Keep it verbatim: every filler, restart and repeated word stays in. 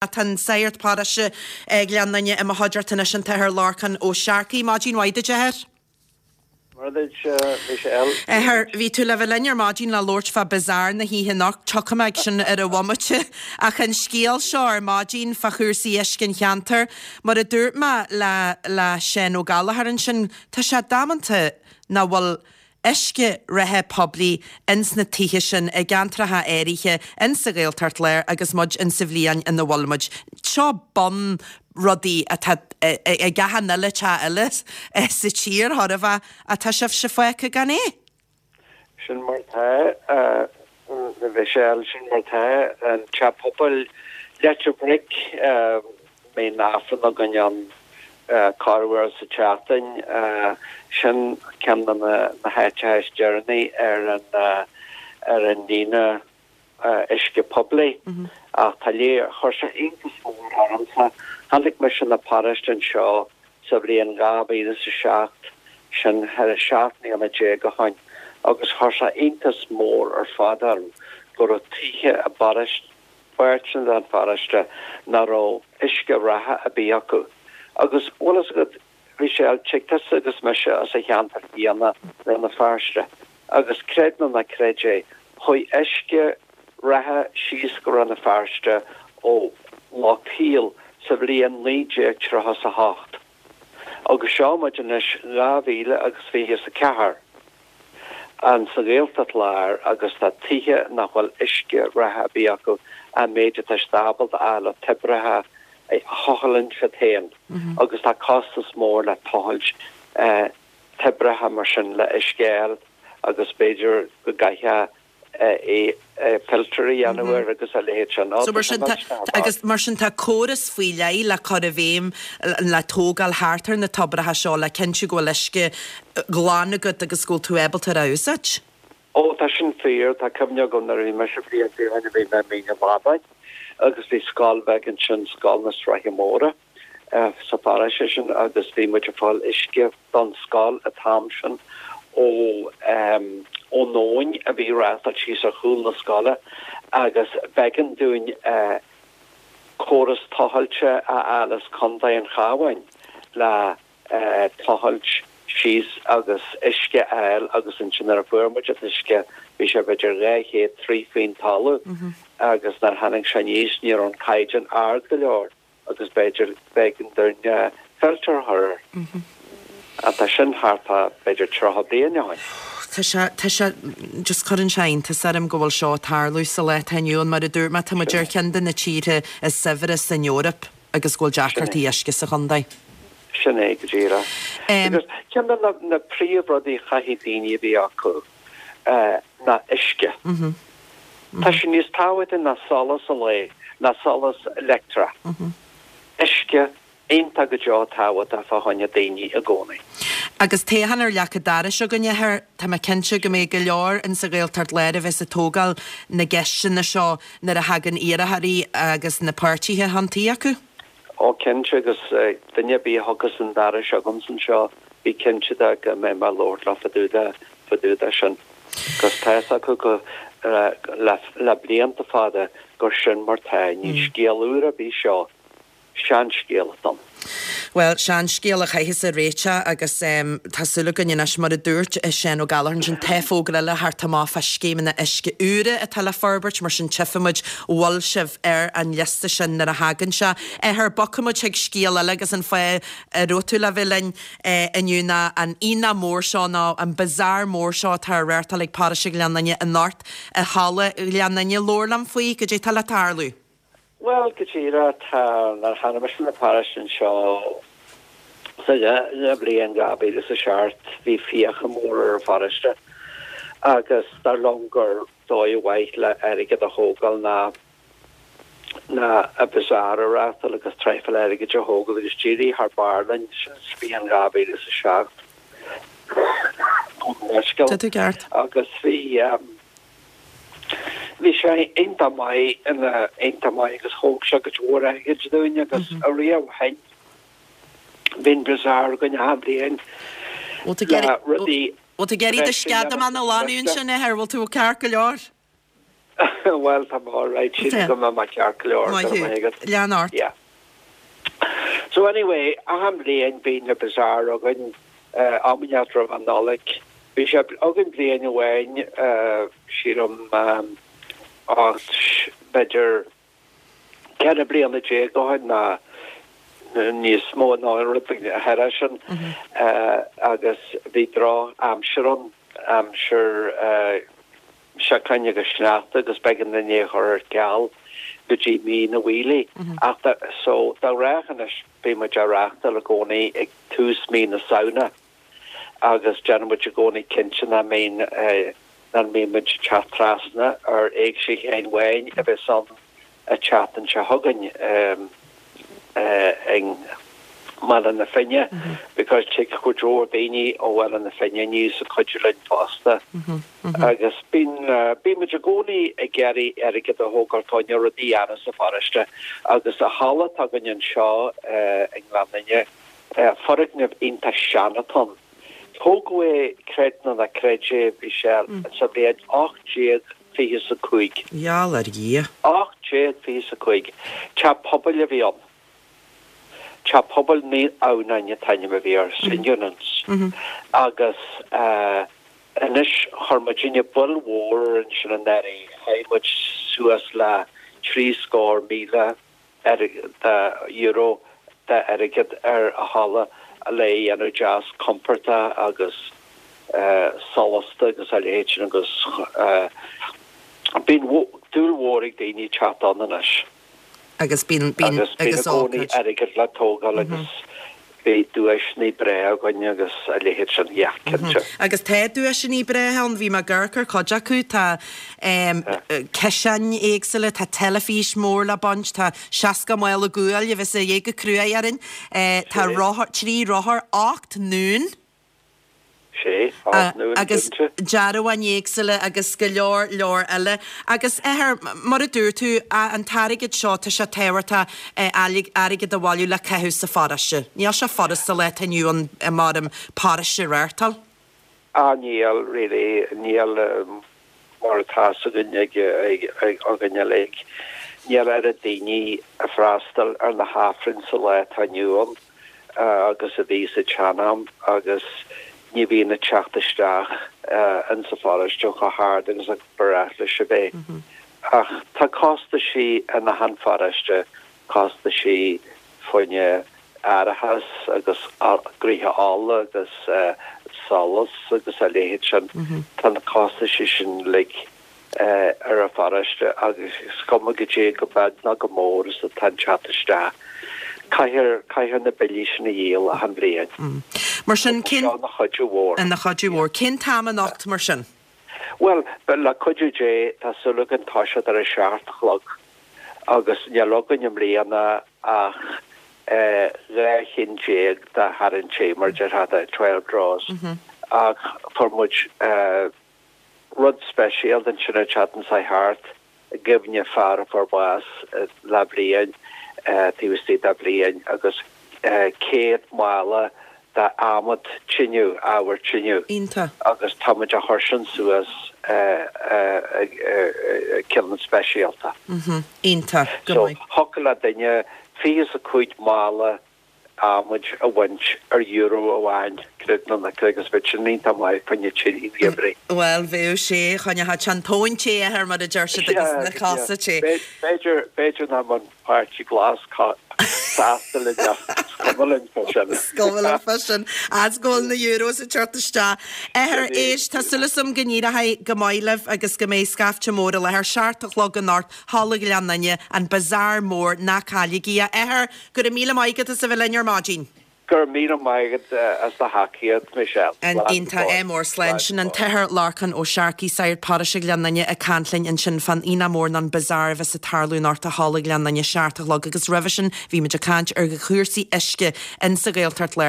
Tá an Sagart Paróiste Ghleann Fhinne i mo chuideachta anois an tAthair Lorcán Ó Searcaigh. Maidin mhaith duit, a Athair. Mora duit, Michelle. Athair, bhí tú le bheith linn ar maidin le labhairt fá bazaar na hoíche anocht, tiocfaidh mé ag sin ar an bhomaite. Ach an scéal seo ar maidin fá chúrsaí uisce an cheantair, mar a dúirt mé le le Seán Ó Gallchóir ansin, tá sé damanta nach bhfuil uisce reatha poiblí ins na tithe sin i gceantracha áirithe ins sa Ghaeltacht Láir agus muid ins sa bhliain ina bhfuil muid. Seo bun rudaí atá ag achan uile teach eile sa tír, chóir a bheith, ach tá sibhse fágtha gan é. Sin mar atá, a Mhichelle, sin mar atá. An teach pobail Leitir Bric, mbíonn Aifreann againn ann corruair sa tseachtain. Sin ceann de na háiteacha is deireanaí ar an ar an líne uisce poiblí. Ach tá léir, chuir sé iontas mór ormsa. Tháinig mise 'na paróiste anseo sa bhliain dhá mhíle is a seacht, sin thar seacht mbliana déag ó shoin, agus chuir sé iontas mór ar fad orm go raibh tithe i bparóiste, páirteanna den pharóiste nach raibh uisce reatha ar bith acu. Agus bhfuil fhios agat, Michelle, tig tusa agus mise as an cheantar chéanna, Rann na Feirste, agus creid nó ná creid é, chuaigh uisce reatha síos go Rann na Feirste ó Loch Caol sa bhliain naoi déag tríocha 's a hocht. Agus seo muid anois dhá mhíle agus fiche 's a ceathair. An sa Ghaeltacht Láir agus tá tithe nach bhfuil uisce reatha ar bith acu, an méid atá siad ábalta a fháil ó toibreacha a thochaileann siad féin agus tá costas mór le tochailt toibreacha mar sin le uisce a fháil agus b'fhéidir go gcaithfeá filter a dhéanamh air agus a leithéid sin. So mar sin tá, agus mar sin tá córas faoi leith le cur i bhfeidhm, le tógáil thart ar na toibreacha seo le cinntiú go bhfuil uisce glan agat agus go bhfuil tú ábalta ar a úsáid. Ó tá sin fíor, tá cuimhne agam nuair a bhí mise blianta ó shin a bhí mé i Mín an Bhrabáin agus bhí scoil bheag ansin, Scoil na Sraithe Móire. sa pharóiste sin agus bhí muid ag fáil uisce don scoil an t-am sin ó ón abhainn a bhí ag reáchtáil síos ar chúl na scoile agus b'éigean dúinn córas tochailte a fháil as Contae an Chabháin le tochailt síos agus uisce a fháil agus ansin nuair a fuair muid an t-uisce bhí sé b'fhéidir dhá chéad troigh faoin talamh agus nuair a tháinig sé aníos ní raibh an caighdeán ard go leor. agus b'fhéidir b'éigean dúinn filter a chur air. Ach tá sin thart fá b'fhéidir tríocha bliain ó shin. Tá sé, tá sé, just cuireann sé iontas orm go bhfuil seo ag tarlú sa lá atá inniu ann. Mar a dúirt mé, tá muid ar cheann de na tíortha is saibhre san Eoraip agus go bhfuil deacrachtaí uisce sa chontae. Sin é go díreach. Agus ceann de na príomhrudaí a chaithfidh daoine a bheith acu ná uisce. Tá sé níos tábhachtaí ná solas an lae, ná solas leictreach. Uisce, iontach go deo tábhachtach fá choinne daoine i gcónaí. Agus toghchán ar leac an dorais againn, a Athair, tá mé cinnte go mbeidh go leor in sa Ghaeltacht Láir a bheas ag tógáil na gceisteanna seo nuair a thagann iarrthóirí agus na páirtithe chun tí acu. Ó cinnte, agus duine ar bith a thiocfas chun an dorais agamsa anseo, bí cinnte de go mbeidh mé ag labhairt leo fá dtaobh de, fá dtaobh de sin. Agus tá fhios acu go, le, le blianta fada gur sin mar tá. Ní scéal úr ar bith seo. Seanscéal atá ann. Bhuel, seanscéal a chaithfeas a réiteach agus tá súil againn anois, mar a dúirt Seán Ó Gallchóir ansin, tá fógra eile thart amach fá scéimeanna uisce úra atá le forbairt, mar sin tchífidh muid an bhfuil sibh ar an liosta sin nuair a thagann sé. Athair, bogfaidh muid chuig scéal eile agus an fáth a raibh tú le bheith linn inniu ná an aonach mór seo nó an bazaar mór seo atá á reáchtáil ag Paróiste Ghleann Fhinne anocht i Halla Ghleann Fhinne. Labhair liom faoi, goidé atá le tarlú. Bhuel, go díreach, tá, nuair a tháinig mise na paróiste anseo sa bhliain dhá mhíle is a seacht, bhí fiacha mór ar an pharóiste agus dar liom gur dóigh mhaith le airgead a thógáil ná ná an bazaar a reáchtáil agus traidhfil airgid a thógáil agus d'éirigh thar barr linn, sin sa bhliain dhá mhíle is a seacht. Gabh mo leithscéal. Tá tú ceart. Agus bhí. Bhí sé iontach maith ina iontach maith agus thóg sé cuid mhór airgid dúinn agus ariamh ó shin bíonn bazaar againn achan bhliain Bhfuil tú ag le rudaí Bhfuil tú ag iarraidh do breise sceadamán a ghlanadh ansin, a Athair? Bhfuil tú ceart go leor? Bhuel tá mé alright sílim go mbeidh mé ceart go leor Maith go raibh thú. maith agat. Lean ort. Yeah. So anyway, achan bhliain bíonn na bazaar againn uh, am inteacht roimh an Nollaig. Bhí sé againn bliain amháin uh, sílim um, ocht b'fhéidir ceithre bliana déag ó shin ná níos mó ná rud thar sin uh, agus bhí drochaimsir ann aimsir uh, seachain agus sneachta agus b'éigean dúinn é a chur ar ceal go dtí mí na bhFiailí. Ach da, so dá rechanis bí mu a reachta le gcónaí ag tús mí na Samhna agus déanaimid i gcónaí cinnte nach mbíonn eh, nach mbíonn muid teacht trasna ar Éigse Sheáin Bháin a bheas an an tseachtain seo chugainn um, uh, i mBaile na Finne because tig cuid mhór daoine ó Bhaile na Finne aníos ag cuidiú linn fosta. Agus bíonn uh, bímid i gcónaí ag iarraidh airgead a thógáil fá choinne rudaí a dhéanamh sa pharóiste agus an halla atá againn anseo uh, i nGleann Fhinne uh, foirgneamh iontach sean atá ann. Tógadh é creid nó ná creid é Michelle sa bhliain ocht déag fiche a cúig. Gheall ar Dhia. Ocht déag fiche a cúig. Teach pobail a bhí ann. Teach pobail Naomh Adhamhnáin an t-ainm a bhí air St Eunan's. Agus uh, anois chuir muidinne buille mhór ansin anuraidh chaith muid suas le trí scór míle de euro de airgead ar an halla le dhéanamh deas compordach agus uh, solasta agus a leithéid sin agus uh, bíonn dúil mhór ag daoine teacht ann anois. Agus bíonn bíonn agus bíonn agus i gcónaí ócáid. airgead le tógáil agus bhí duaiseanna breá againn agus a leithéid sin yeah, cinnte. Agus tá duaiseanna breá ann bhí mé ag amharc ar cuid acu tá um, ciseáin éagsúla tá teilifís mór le baint tá seasca mála guail a bheas é go crua orainn eh, tá Sé. rothar trí rothar ocht ndún Sé Uh, nó agus dearbháin éagsúla agus go leor leor eile. Agus ethair mar a dúirt tú an t-airgead seo tá sé tábhachtach airgead a bhailiú le caitheamh sa pharóiste. Níl sé furasta le inniu an mar an paróiste a reáchtáil? Ah níl really níl um, mar atá againn ag againn uilig. Níl oiread daoine ag freastal ar na hAifrinn sa lá atá inniu ann uh, agus a bhí sa tsean-am agus ní bhíonn ag teacht isteach uh, in sa pharóiste chomh hard agus a ba ghnách leis a bheith. Ach tá costaisí in achan pharóiste costaisí fá choinne árachas agus gnoithe ola agus uh, solas agus a leithéid sin tá na costaisí sin uilig uh, ar an pharóiste agus is cuma goidé go beag ná go mór is atá ag teacht isteach. Caithfear caithfear na billí sin a dhíol achan bhliain. Mar sin cén Seo na chuid mhór. an na chuid mhór cén t-am anocht mar sin. Well, but le cuidiú Dé tá súil againn toiseacht ar a seacht a chlog agus níl againn i mbliana ach eh, dhá cheann déag de tharraingtí mar déarfá twelve draws ach fuair muid eh, rud speisialta ansin an tseachtain seo thart i gcuimhne fear a fuair bás eh, le bliain eh, taobh istigh de bhliain agus eh, céad mála de adhmad tine ábhar tine Iontach. agus táimid a chur sin suas cineál speisialta. Iontach go So maith. thiocfadh le duine fiche a cúig mála adhmaid a bhaint ar euro amháin creid nó ná creid agus bheadh sin iontach maith fá choinne tine gheimhridh. Well bheadh sé choinneodh an tóin te ar mar a deir siad agus na casa te. B'fhéidir b'fhéidir nach mbeadh an Páirtí Glas sásta le cuma sin. Scóil sin as ggóil na euros a teacht isteach. Ethair éis tá súil agam go n-éireoidh go maith libh agus go mbeidh scaifte mór le ar seacht a chlog anocht Halla Ghleann Fhinne an bazaar mór ná cailligí a Athair go raibh míle maith agat as a bheith linn ar maidin. Gur míle maigad as do thacaíocht Michelle. An iontach é mór slán sin an tAthair Lorcán Ó Searcaigh sagart paróiste Ghleann Fhinne ag caint linn ansin fán aonach mór an bazaar a bheas ag tarlú anocht i Halla Ghleann Fhinne seacht a chlog agus roimhe sin bhí muid ag caint ar chúrsaí uisce in sa Ghaeltacht le